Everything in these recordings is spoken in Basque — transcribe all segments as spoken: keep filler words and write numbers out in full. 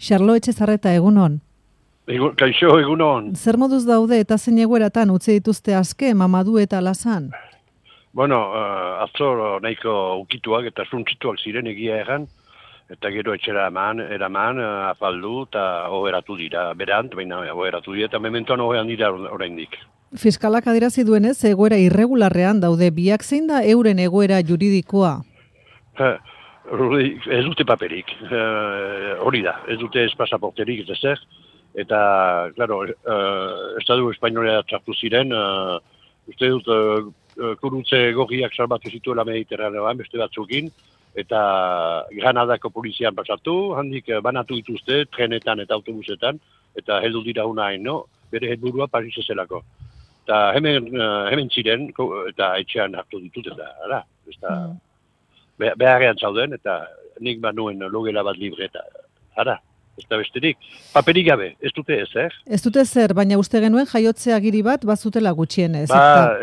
Xarlo Etxezarreta, egunon. Egun, kaixo, egunon. Zer moduz daude eta zein egoeratan utzi dituzte aske Mamadu eta Alasan? Bueno, uh, atzo nahiko ukituak eta suntzituak ziren egia erran, eta gero etxera eman, eraman, uh, afaldu eta oheratu dira, berant, baina oheratu dira, eta mementoan oheran dira oraindik. Fiskalak adierazi duenez, egoera irregularrean daude, biak zein da euren egoera juridikoa? Uh, ez dute paperik, uh, hori da, ez dute ez pasaporterik, ez ezer, eta, klaro, uh, Estadu Espainolea txartu ziren, uh, uste dut, uh, kurutze gorriak salbatu zituela Mediterraneoan, beste batzukin, eta Granadako polizian pasatu, handik banatu dituzte, trenetan eta autobusetan, eta heldu dira unain, no? Bere helburua Paris zelako. Eta hemen, uh, hemen ziren, eta etxean hartu ditut, eta, ara, eta, mm. beharrean zauden, eta nik banuen logela bat libre, eta, ara. Ez da besterik. Paperik gabe, ez dute ezer. Ez dute zer, baina uste genuen jaiotze agiri bat bazutela gutxienez. Ba,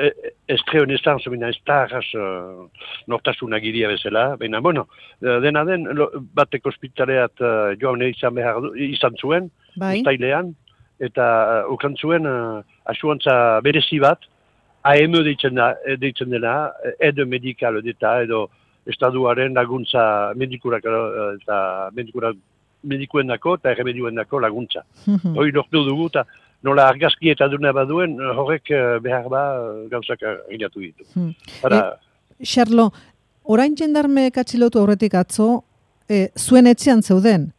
ez treo nestan, zomina ez da arras uh, nortasun agiria bezala. Baina, bueno, dena den, bateko ospitaleat uh, joan izan behar izan zuen, bai? Uztailean, eta uh, ukan zuen uh, asuantza berezi bat, A M deitzen, da, deitzen dena, edo medikal eta edo estaduaren laguntza medikurak uh, eta medikurak medikuen dako eta erremedioen dako laguntza. Mm-hmm. Hoi lortu dugu eta nola argazki eta duna baduen horrek behar ba gauzak egatu ditu. Mm. Para... E, Xarlo, orain jendarme katxilotu aurretik atzo, e, zuen etxean zeuden,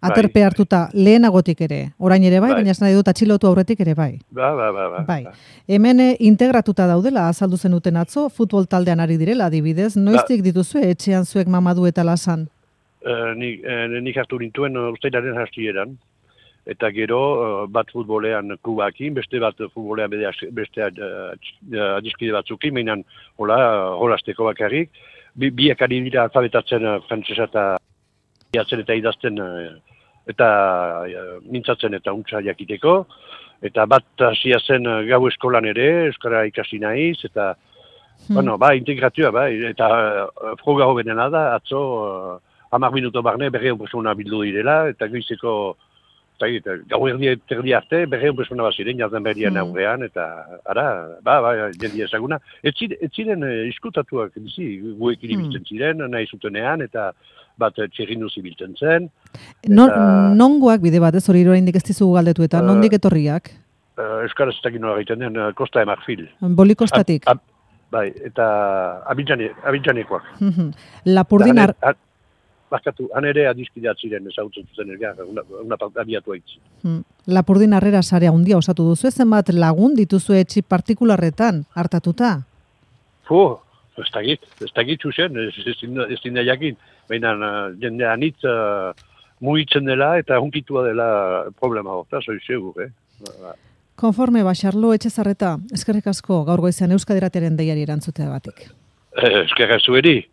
aterpe bai, hartuta bai. Lehenagotik ere, orain ere bai, bai. Baina ez nahi dut atxilotu aurretik ere bai. Ba, ba, ba, ba, bai. Ba. Hemen integratuta daudela, azaldu zenuten atzo, futbol taldean ari direla adibidez, noiztik ba. Dituzue etxean zuek Mamadu eta Alasan? Uh, nik, uh, nik hartu nintuen uh, ustailaren hastieran, eta gero uh, bat futbolean klubakin, beste bat futbolean bede, beste uh, adiskide batzukin, mainan hola, holasteko bakarrik, Bi, biak ari dira alfabetatzen uh, frantzesa eta jatzen eta idazten uh, eta uh, mintzatzen eta untsa jakiteko, eta bat hasia zen uh, gau eskolan ere, euskara ikasi naiz, eta hmm. bueno, ba, integratua, ba, eta uh, froga hobenena da, atzo uh, hamar minuto barne berreun persona bildu direla, eta goizeko, eta gau erdi terdi arte, berreun persona bat ziren, jartzen berrian mm. aurrean, eta ara, ba, ba, jendi ezaguna. Ez ziren iskutatuak, bizi, guekin ibiltzen mm. ziren, nahi zutenean, eta bat txerrindu zibiltzen zen. Non, eta, nongoak bide bat, ez hori oraindik ez dizugu galdetu, eta uh, nondik etorriak? Uh, Euskaraz ez dakit nola egiten den, uh, Costa de Marfil. Bolikostatik? Ab, ab, bai, eta Abidjanekoak. Lapurdin ar... Bakatu, han ere adiskideat ziren ezagutzen zuzen elgar, una, una abiatu haitzi. Hmm. Lapurdin harrera sarea hundia osatu duzu, zenbat lagun dituzu etxi partikularretan hartatuta? Fu, ez dakit, ez dakit zuzen, ez dina jakin. Baina jende anitz uh, mugitzen dela eta hunkitua dela problema horta, zoi segur, eh? Konforme ba, Xarlo Etxezarreta, eskerrik asko gaur goizean Euskadi Irratiaren deiari erantzutea batik. Eh, eskerrik zueri,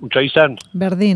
untsa izan. Berdin.